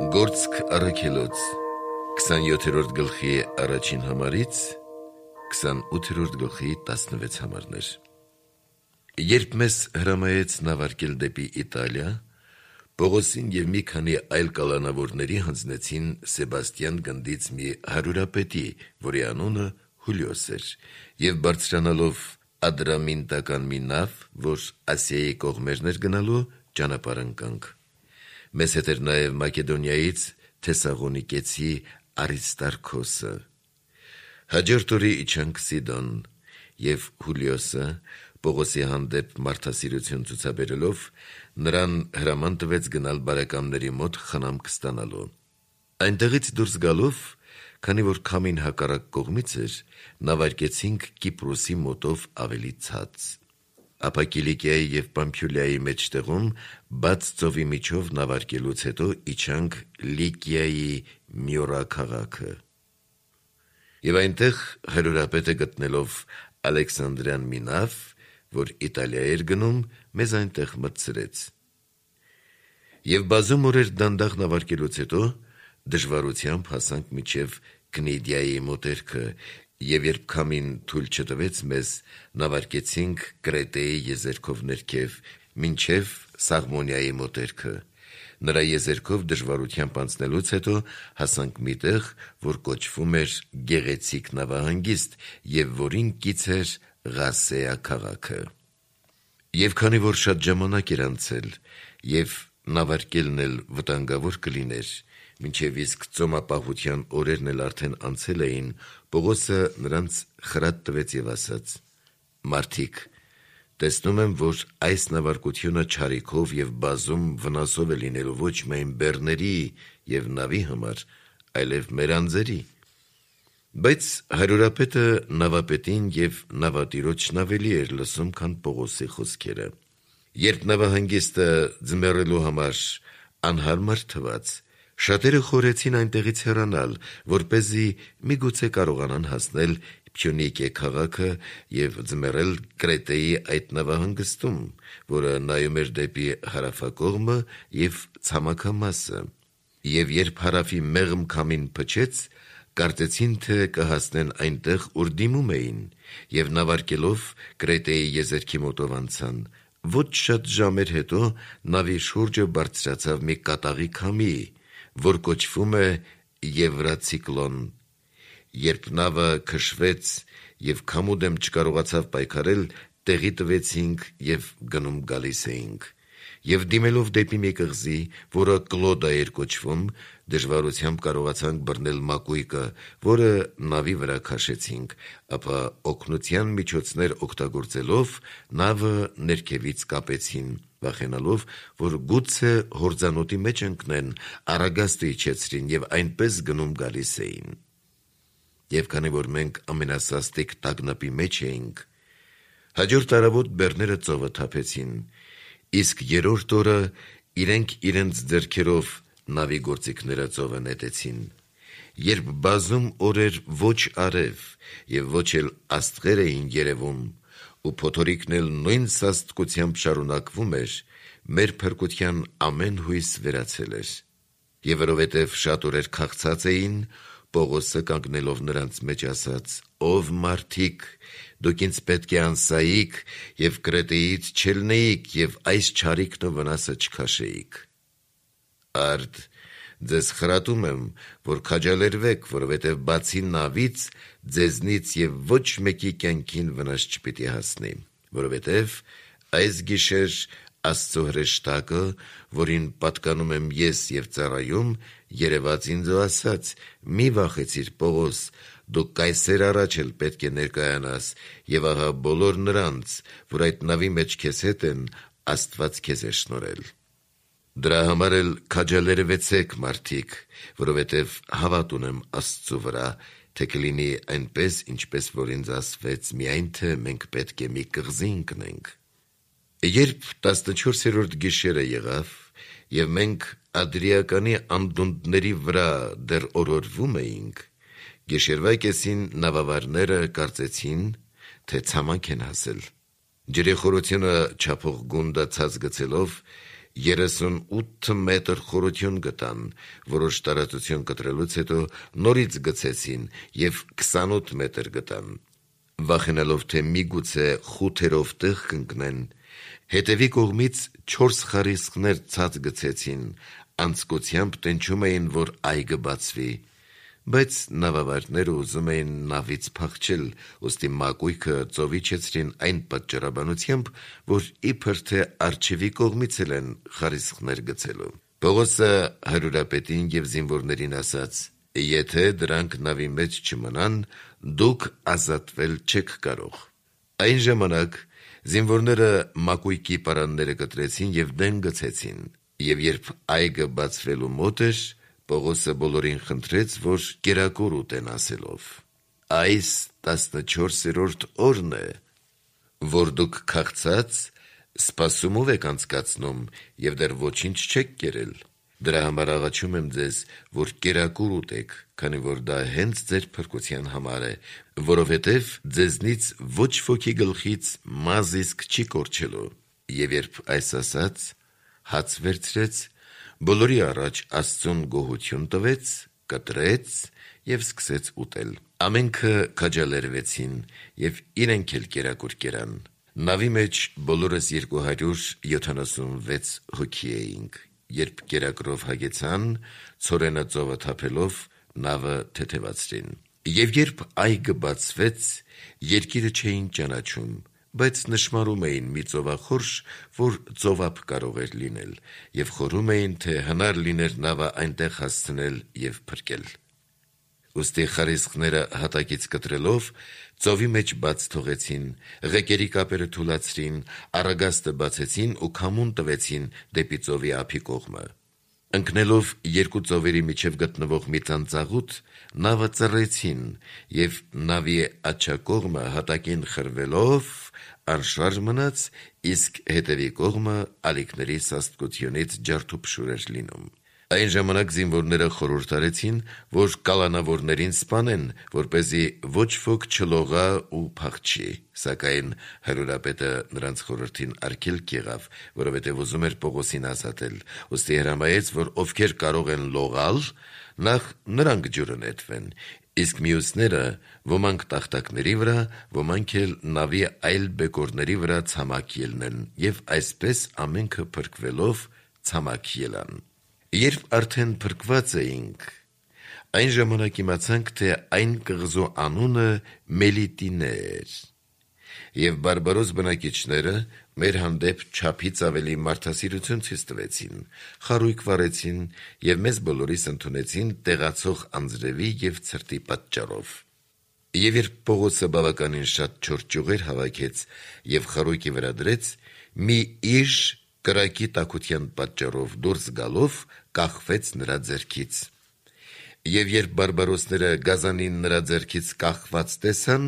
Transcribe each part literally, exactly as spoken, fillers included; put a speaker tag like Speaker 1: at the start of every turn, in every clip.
Speaker 1: Գործք առաքելոց քսանյոթերորդ գլխի առաջին համարից քսանութերորդ գլխի տասնվեց համարներ։ Երբ մեզ հրամայեց նավարկել դեպի Իտալիա, Պողոսին և մի քանի այլ կալանավորների հանձնեցին Սեբաստյան գնդից մի հարյուրապետի, որի անունը Հուլիոս էր, և բարձրանալով Ադրամինտական մի նավ, որ Ասիայի կողմերն էր գնալու, ճանապարհ ընկանք։ Մեզ հետ էր նաև Մակեդոնիայից Թեսաղոնիկեցի Արիստարքոսը։ Հաջորդ օրը իջանք Սիդոն, և Հուլիոսը Պողոսի հանդեպ մարդասիրություն ցուցաբերելով նրան հրաման տվեց գնալ բարեկամների մոտ խնամք ստանալու։ Այնտեղից դուրս գալով, քանի որ քամին հակառակ կողմից էր, նավարկեցինք Կիպրոսի մոտով ավելի ցած։ Ապա Կիլիկիայի և Պամփյուլիայի մեջտեղում բաց ծովի միջով նավարկելուց հետո իջանք Լիկիայի Մյորա քաղաքը։ Եվ այնտեղ հարյուրապետը գտնելով Ալեքսանդրյան մի նավ, որ Իտալիա էր գնում, մեզ այնտեղ մտցրեց։ Եվ բազում օրեր դանդաղ նավարկելուց հետո դժվարությամբ հասանք մինչև Կնիդիայի մոտերքը, և երբ քամին թույլ չտվեց մեզ, նավարկեցինք Կրետեի եզերքով ներքև, մինչև Սաղմոնիայի մոտերքը։ Նրա եզերքով դժվարությամբ անցնելուց հետո հասանք մի տեղ, որ կոչվում էր Գեղեցիկ նավահանգիստ, և որին կից էր Ղասեա քաղաքը։ Եվ քանի որ շատ ժամանակ էր անցել, և նավարկելն էլ վտանգավոր կլիներ, մինչև իսկ ծոմապահության օրերն էլ արդեն անցել էին, Պողոսը նրանց խրատ տվեց և ասաց. «Մարդիկ, տեսնում եմ, որ այս նավարկությունը չարիքով և բազում վնասով է լինելու ոչ միայն բեռների և նավի համար, այլև մեր անձերի»։ Բայց հարյուրապետը նավապետին և նավատիրոջն ավելի էր լսում, քան Պողոսի խոսքերը։ Երբ նավահանգիստը ձմեռելու համար անհարմար թվաց, շատերը խորհեցին այնտեղից հեռանալ, որպեսզի միգուցե կարողանան հասնել Փյունիկիե քաղաքը և ձմեռել Կրետեի այդ նավահանգստում, որը նայում էր դեպի հարավակողմը և ցամաքամասը։ Եվ երբ հարավի մեղմ քամին փչեց, կարծեցին, թե կհասնեն այնտեղ, ուր դիմում էին, և նավարկելով Կրետեի եզերքի մոտով անցան։ Ոչ շատ ժամեր հետո նավի շուրջը բարձրացավ մի կատաղի քամի, որ կոչվում է Եվրացիկլոն։ Երբ նավը քշվեց և քամու դեմ չկարողացավ պայքարել, տեղի տվեցինք և գնում գալիս էինք։ Եվ դիմելով դեպի մի կղզի, որը Կլոդա էր կոչվում, դժվարությամբ կարողացանք բռնել մակույկը, որը նավի վրա քաշեցինք, ապա օգնության միջոցներ օգտագործելով նավը ներքևից կապեցին, վախենալով, որ գուցե հորձանուտի մեջ ընկնեն, առագաստը իջեցրին և այնպես գնում գալիս էին։ Եվ քանի որ մենք ամենասաստիկ տագնապի մեջ էինք, հաջորդ առավոտ բեռները ծովը թափեցին, իսկ երրորդ օրը իրենք իրենց ձեռքերով նավի գործիքները ծովը նետեցին։ Երբ բազում օրեր ոչ արև և ոչ էլ աստղեր էին երևում, ու փոթորիկն էլ նույն սաստկությամբ շարունակվում էր, մեր փրկության ամեն հույս վերացել էր։ Եվ որովհետև շատ օրեր քաղցած էին, Պողոսը կանգնելով նրանց մեջ ասաց. «Ով մարդիկ, դուք ինձ պետք է անսայիք և Կրետեից չելնեիք և այս չարիքն ու վնասը չքաշեիք։ Արդ, ձեզ խրատում եմ, որ քաջալերվեք, որովհետև բացի նավից, ձեզնից և ոչ մեկի կյանքին վնաս չպիտի հասնի, որովհետև այս գիշեր Աստծո հրեշտակը, որին պատկանում եմ ես և ծառայում, երևաց ինձ ու ասաց. «Մի վախեցիր, Պողոս, դու կայսեր առաջ էլ պետք է ներկայանաս, և ահա բոլոր նրանց, որ այդ նավի մեջ քեզ հետ են, Աստված քեզ է շնորհել։ Դրա համար էլ քաջալերվեցեք, մարդիկ, որովհետև հավատ ունեմ Աստծու վրա, թե կլինի այնպես, ինչպես որ ինձ ասվեց, միայն թե մենք պետք է մի կղզի ընկնենք»։ Երբ տասնչորսերորդ գիշերը եղավ, և մենք Ադրիականի անդունդների վրա դեռ օրորվում էինք, գիշերվա կեսին նավավարները կարծեցին, թե ցամաք են հասել։ Ջրի խորությունը չափող գունդը ցած գցելով, երեսունութ մետր խորություն գտան, որոշ տարածություն կտրելուց հետո նորից գցեցին և քսանութ մետր գտան։ Վախենալով, թե միգուցե խութերով տեղ կընկնեն, հետևի կողմից չորս խարիսխներ ցած գցեցին, անձկությամբ տնչում էին, որ այգը բացվի, բայց նավավարդները ուզում էին նավից փախչել, ուստի մակույկը ծովիչեցրին այն պատճառաբանությամբ, որ իբր թե առջևի կողմից էլ են խարիսխներ գցելու։ Պողոսը հարյուրապետին և զինվորներին ասաց. «Եթե դրանք նավի մեջ չմնան, դուք ազատվել չեք կարող»։ Այն ժամանակ զինվորները մակույկի պարանները կտրեցին և դեն գցեցին, և երբ այգը բացվելու մոտ էր, Պողոսը բոլորին խնդրեց, որ կերակուր ուտեն, ասելով. «Այս տասնչորսերորդ օրն է, որ դուք քաղցած սպասումով եք անցկացնում և դեռ ոչինչ չեք կերել։ Դրա համար աղաչում եմ ձեզ, որ կերակուր ուտեք, քանի որ դա հենց ձեր փրկության համար է, որովհետև ձեզնից ոչ ոքի գլխից մազ իսկ չի կորչելու»։ Եվ երբ այս ասաց, հաց վերցրեց, բոլորի առաջ Աստծուն գոհություն տվեց, կտրեց և սկսեց ուտել։ Ամենքը քաջալերվեցին և իրենք էլ կերակուր կերան։ Նավի մեջ բոլորս երկու հարյուր յոթանասունվեց հոգի էինք։ Երբ կերակուրով հագեցան, ցորենը ծովը թափելով, նավը թեթևացրին։ Եվ երբ այգը բացվեց, երկիրը չէին ճանաչում, բայց նշմարում էին մի ծովախորշ, որ ծովափ կարող էր լինել, և խորհում էին, թե հնար լիներ նավը այնտեղ հասցնել և փրկել։ Ուստի խարիսխները հատակից կտրելով, ծովի մեջ բաց թողեցին, ղեկերի կապերը թուլացրին, առագաստը բացեցին ու քամուն տվեցին դեպի ծովի ափի կողմը։ Ընկնելով երկու ծովերի միջև գտնվող մի ծանծաղուտ, նավը ծռեցին, և նավի աջակողմը հատակին խրվելով անշարժ մնաց, իսկ հետևի կողմը ալիքների սաստկությունից ջարդուփշուր էր լինում։ Այն ժամանակ զինվորները խորհուրդ արեցին, որ կալանավորներին սպանեն, որպեսզի ոչ ոք չլողա ու փախչի, սակայն հարյուրապետը նրանց խորհրդին արգելք եղավ, որովհետև ուզում էր Պողոսին ազատել, ուստի հրամայեց, որ ովքեր կարող են լողալ, նախ նրանք ջուրը նետվեն, իսկ մյուսները ոմանք տախտակների վրա, ոմանք էլ նավի այլ բեկորների վրա ցամաք ելնեն, և այսպես ամենքը փրկվելով ցամաք ելան։ Երբ արդեն փրկված էինք, այն ժամանակ իմացանք, թե այն կղզու անունը Մելիտինե էր, և բարբարոս բնակիչները մեր հանդեպ չափից ավելի մարդասիրություն ցույց տվեցին, խարույկ վառեցին և մեզ բոլորիս ընդունեցին տեղացող անձրևի և ցրտի պատճառով։ Եվ երբ Պողոսը բավականին շատ չոր ճյուղեր հավաքեց և խարույկի վրա դրեց, մի իժ կրակի տաքության պատճառով դուրս գալով կախվեց նրա ձեռքից։ Եվ երբ բարբարոսները գազանին նրա ձեռքից կախված տեսան,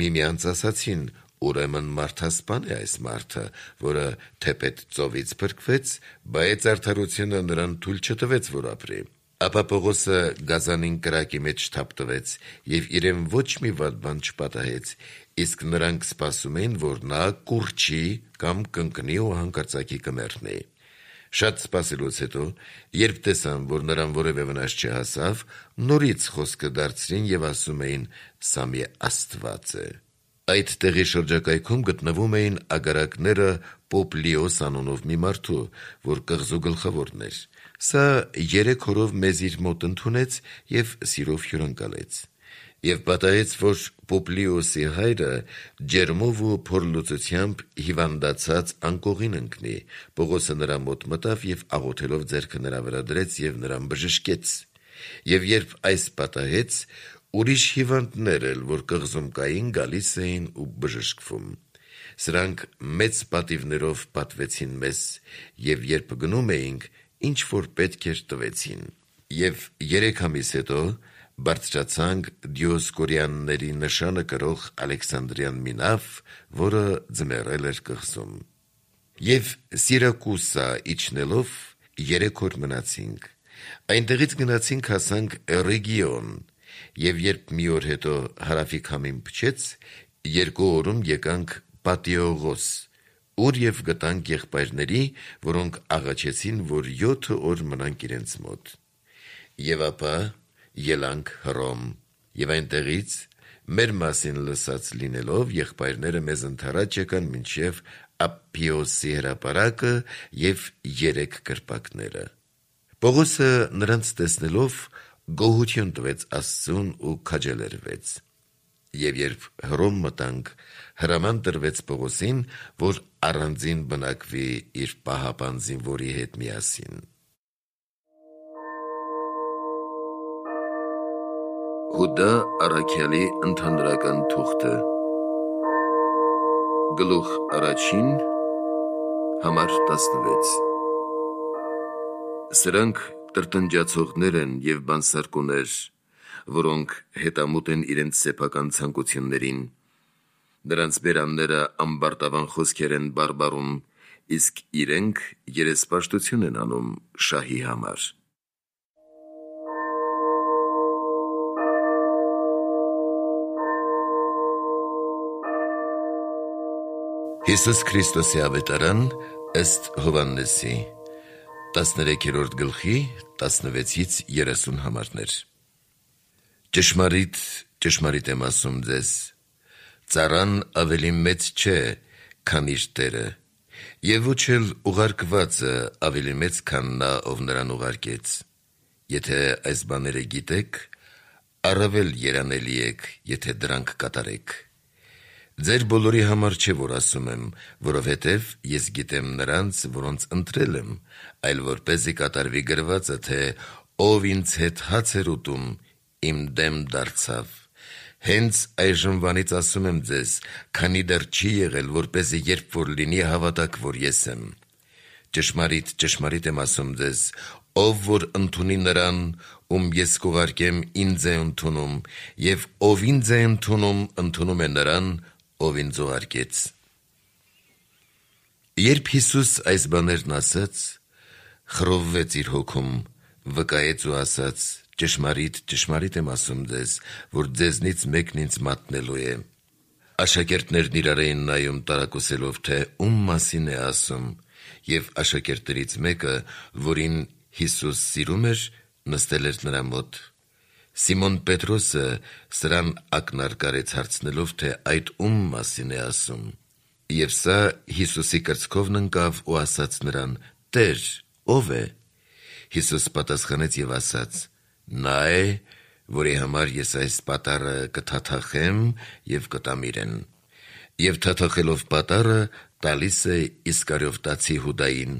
Speaker 1: միմյանց ասացին. «Ուրեմն մարդասպան է այս մարդը, որը թեպետ ծովից փրկվեց, բայց արդարությունը նրան թույլ չտվեց, որ ապրի»։ Ապա Պողոսը գազանին կրակի մեջ թափտվեց և իրեն ոչ մի վատ բան չպատահեց, իսկ նրանք սպասում էին, որ նա կուռչի կամ կընկնի ու հանկարծակի կմեռնի։ Շատ սպասելուց հետո, երբ տեսան, որ նրան որևէ վնաս չհասավ, նորից խոսքը դարձրին և ասում էին. «Սա մի աստված է»։ Այդ տեղի շրջակայքում գտնվում էին ագարակները Պոպլիոս անունով մի մարդու, որ կղզու գլխավորն էր։ Սա երեք օրով մեզ իր մոտ ընդունեց և սիրով հյուրընկալեց։ Եվ պատահեց, որ Պոպլիոսի հայրը ջերմով ու փորլուծությամբ հիվանդացած անկողին ընկնի։ Պողոսը նրա մոտ մտավ և աղոթելով ձեռքը նրա վրա դրեց և նրան բժշկեց։ Եվ երբ այս պատահեց, ուրիշ հիվանդներ էլ, որ կղզում կային, գալիս էին ու բժշկվում։ Սրանք մեծ պատիվներով պատվեցին մեզ, և երբ գնում էինք, ինչ որ պետք էր տվեցին։ Եվ երեք ամիս հետո բարձրացանք Դիոսկորյանների նշանը կրող Ալեքսանդրյան մի նավ, որը ձմեռել էր կղզում։ Եվ Սիրակուսա իջնելով երեք օր մնացինք։ Այնտեղից գնացինք հասանք Ռեգիոն, և երբ մի օր հետո հարավի քամին փչեց, երկու օրում եկանք Պատիոգոս, ուր և գտանք եղբայրների, որոնք աղաչեցին, որ յոթ օր մնանք իրենց մոտ։ Եվ ապա ելանք Հռոմ, և այնտեղից մեր մասին լսած լինելով եղբայրները մեզ ընդառաջ եկան մինչև Ափփիոսի հրապարակը և երեք կրպակները։ Պողոսը նրանց տեսնելով գոհություն տվեց Աստծուն ու քաջալերվեց։ Եվ երբ Հռոմ մտանք, հրաման տրվեց Պողոսին, որ առանձին բնակվի իր պահապան զինվորի հետ միասին։ Հուդա առաքյալի ընդհանրական թուղթը, գլուխ առաջին, համար տասնվեց։ Սրանք տրտնջացողներ են և բանսարկուներ, որոնք հետամուտ են իրենց սեփական ցանկություններին։ Նրանց բերանները ամբարտավան խոսքեր են բարբառում, իսկ իրենք երեսպաշտություն են անում շահի համար։ Հիսուս Քրիստոսի ավետարան ըստ Հովհաննեսի, տասներեքերորդ գլխի տասնվեցից երեսուն համարներ։ Ճշմարիտ, ճշմարիտ եմ ասում ձեզ, ծառան ավելի մեծ չէ, քան իր տերը, և ոչ էլ ուղարկվածը ավելի մեծ, քան նա, ով նրան ուղարկեց։ Եթե այս բաները գիտեք, առավել երանելի եք, եթե դրանք կատարեք։ Ձեր բոլորի համար չէ, որ ասում եմ, որովհետև ես գիտեմ նրանց, որոնց ընտրել եմ, այլ որպեսզի կատարվի գրվածը, թե ով ինձ հետ հաց էր ուտում, իմ դեմ դարձավ։ Հենց այժմվանից ասում եմ ձեզ, քանի դեռ չի եղել, որպեսզի երբ որ լինի, հավատաք, որ ես եմ։ Ճշմարիտ, ճշմարիտ եմ ասում ձեզ, ով որ ընդունի նրան, ում ես կուղարկեմ, ինձ է ընդունում, և ով ինձ է ընդունում, ընդունում է նրան, ով ինձ ուղարկեց։ Երբ Հիսուս այս բաներն ասաց, խռովվեց իր հոգում, վկայեց ու ասաց. ճշմարիտ, ճշմարիտ եմ ասում ձեզ, որ ձեզնից մեկն ինձ մատնելու է։ Աշակերտներն իրար էին նայում տարակուսելով, թե ում մասին է ասում, և աշակերտներից մեկը, որին Հիսուս սիրում էր, նստել էր նրա մոտ։ Սիմոն Պետրոսը սրան ակնարկարեց հարցնելով, թե այդ ում մասին է ասում։ Եվ սա Հիսուսի կրծքովն ընկավ ու ասաց նրան. «Տեր, ով է»։ Հիսուս պատասխանեց և ասաց. «Նա է, որի համար ես այս պատառը կթաթախեմ և կտամ իրեն»։ Եվ թաթախելով պատառը, տալիս է Իսկարիովտացի Հուդային։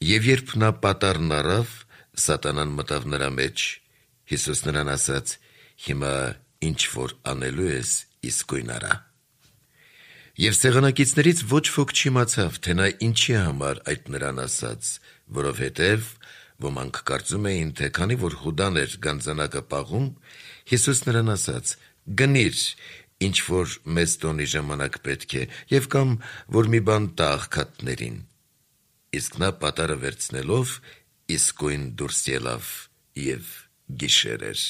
Speaker 1: Եվ երբ նա պատառն առավ, սատանան մտավ նրա մեջ։ Հիսուս նրան ասաց. «Հիմա ինչ որ անելու ես, իսկույն արա»։ Եվ սեղանակիցներից ոչ ոք չիմացավ, թե նա ինչի համար այդ նրան ասաց, որովհետև ոմանք կարծում էին, թե քանի որ Հուդան էր գանձանակը պաղում, Հիսուս նրան ասաց. «Գնիր, ինչ որ մեծ տոնի ժամանակ պետք է, և կամ որ մի բան տա աղքատներին»։ Իսկ նա պատառը վերցնելով իսկույն դուրս ելավ, և գիշեր էր։